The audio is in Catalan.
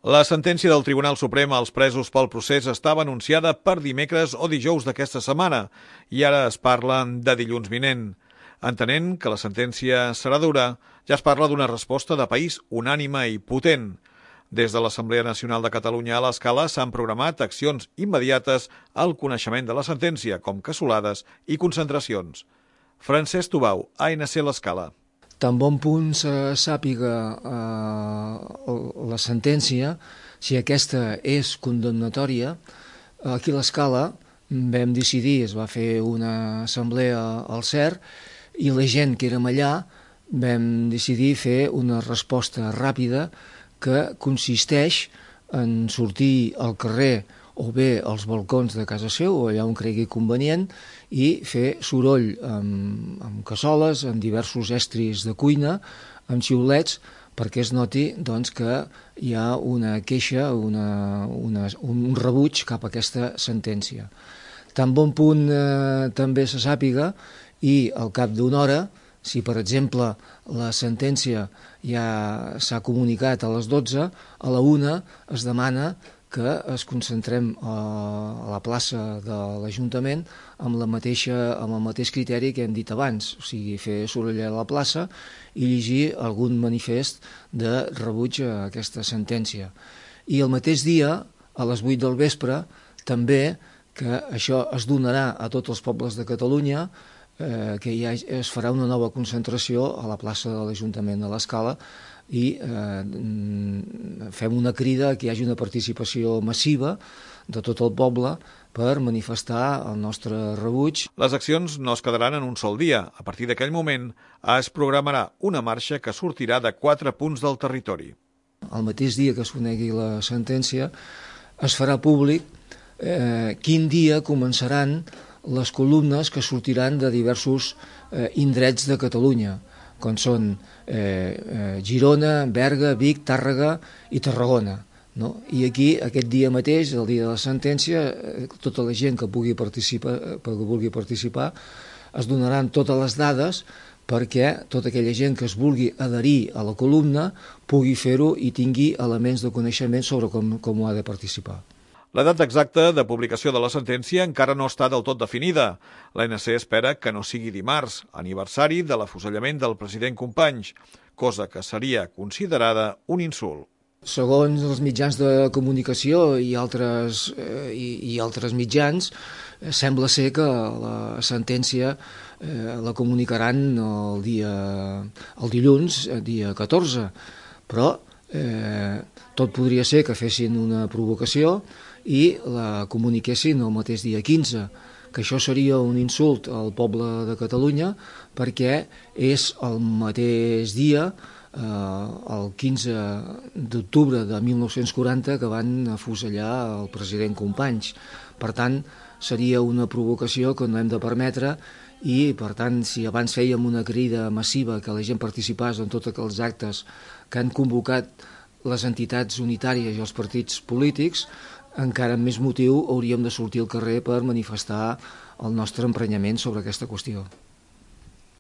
La sentència del Tribunal Suprem als presos pel procés estava anunciada per dimecres o dijous d'aquesta setmana i ara es parla de dilluns vinent. Entenent que la sentència serà dura, ja es parla d'una resposta de país unànime i potent. Des de l'Assemblea Nacional de Catalunya a l'Escala s'han programat accions immediates al coneixement de la sentència, com cassolades i concentracions. Francesc Tubau, ANC l'Escala. Tan bon punt se sàpiga la sentència, si aquesta és condemnatòria, aquí a l'Escala vam decidir, es va fer una assemblea al CER, i la gent que érem allà vam decidir fer una resposta ràpida que consisteix en sortir al carrer o bé als balcons de casa seu o allà on cregui convenient i fer soroll amb cassoles, amb diversos estris de cuina, amb xiulets, perquè es noti doncs, que hi ha una queixa, un rebuig cap a aquesta sentència. Tan bon punt també se sàpiga i al cap d'una hora, si per exemple la sentència ja s'ha comunicat a les 12, a la 1 es demana que es concentrem a la plaça de l'Ajuntament amb el mateix criteri que hem dit abans, o sigui, fer soroll a la plaça i llegir algun manifest de rebuig a aquesta sentència. I el mateix dia, a les 8 del vespre, també que això es donarà a tots els pobles de Catalunya, que ja es farà una nova concentració a la plaça de l'Ajuntament de l'Escala i fem una crida que hi hagi una participació massiva de tot el poble per manifestar el nostre rebuig. Les accions no es quedaran en un sol dia. A partir d'aquell moment es programarà una marxa que sortirà de 4 punts del territori. El mateix dia que es conegui la sentència es farà públic quin dia començaran les columnes que sortiran de diversos indrets de Catalunya, com són Girona, Berga, Vic, Tàrrega i Tarragona. I aquí, aquest dia mateix, el dia de la sentència, tota la gent que vulgui participar es donaran totes les dades perquè tota aquella gent que es vulgui adherir a la columna pugui fer-ho i tingui elements de coneixement sobre com ho ha de participar. La data exacta de publicació de la sentència encara no està del tot definida. L'ANC espera que no sigui dimarts, aniversari de l'afusellament del president Companys, cosa que seria considerada un insult. Segons els mitjans de comunicació i altres mitjans, sembla ser que la sentència la comunicaran el dilluns, dia 14, però tot podria ser que fessin una provocació i la comuniquessin el mateix dia 15, que això seria un insult al poble de Catalunya perquè és el mateix dia, el 15 d'octubre de 1940, que van afusellar el president Companys. Per tant, seria una provocació que no hem de permetre i, per tant, si abans fèiem una crida massiva que la gent participés en tots aquells actes que han convocat les entitats unitàries i els partits polítics, encara amb més motiu hauríem de sortir al carrer per manifestar el nostre emprenyament sobre aquesta qüestió.